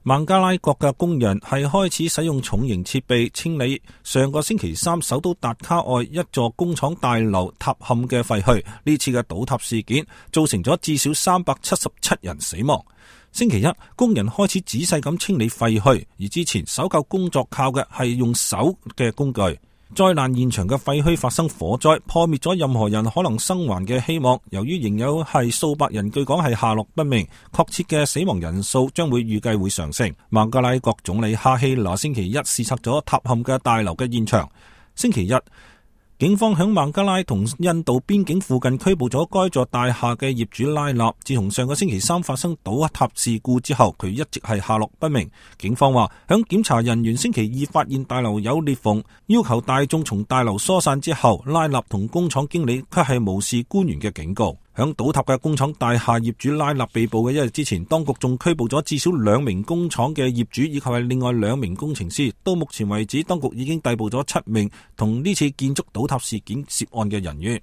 孟加拉國嘅工人係開始使用重型設備清理上個星期三首都達卡外一座工廠大樓塌陷嘅廢墟。呢次嘅倒塌事件造成咗至少377人死亡。星期一，工人開始仔細咁清理廢墟，而之前搜救工作靠嘅係用手嘅工具。災難現場嘅廢墟發生火災，破滅咗任何人可能生還嘅希望。由於仍有係數百人據講係下落不明，確切嘅死亡人數將會預計會上升。孟加拉國總理哈希拿星期一視察咗塌陷嘅大樓嘅現場。星期一，警方響孟加拉同印度邊境附近拘捕咗該座大廈嘅業主拉納。自從上個星期三發生倒塌事故之後，佢一直係下落不明。警方話，響檢查人員星期二發現大樓有裂縫，要求大眾從大樓疏散之後，拉納同工廠經理卻係無視官員嘅警告。響倒塌嘅工廠大廈業主拉納被捕嘅一日之前，當局仲拘捕咗至少2名工廠嘅業主以及係另外2名工程師。到目前為止，當局已經逮捕咗7名同呢次建築倒塌事件涉案嘅人員。